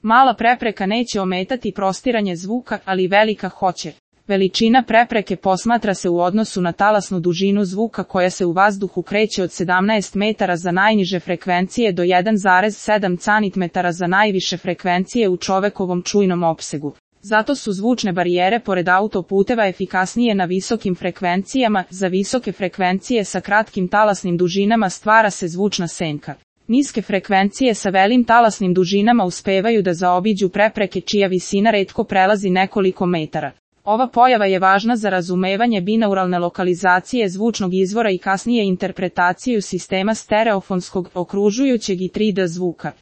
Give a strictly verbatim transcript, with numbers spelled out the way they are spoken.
Mala prepreka neće ometati prostiranje zvuka, ali velika hoće. Veličina prepreke posmatra se u odnosu na talasnu dužinu zvuka koja se u vazduhu kreće od sedamnaest metara za najniže frekvencije do jedan zarez sedam centimetara za najviše frekvencije u čovekovom čujnom opsegu. Zato su zvučne barijere pored autoputeva efikasnije na visokim frekvencijama. Za visoke frekvencije sa kratkim talasnim dužinama stvara se zvučna senka. Niske frekvencije sa velim talasnim dužinama uspevaju da zaobiđu prepreke čija visina retko prelazi nekoliko metara. Ova pojava je važna za razumevanje binauralne lokalizacije zvučnog izvora i kasnije interpretaciju sistema stereofonskog, okružujućeg i tri D zvuka.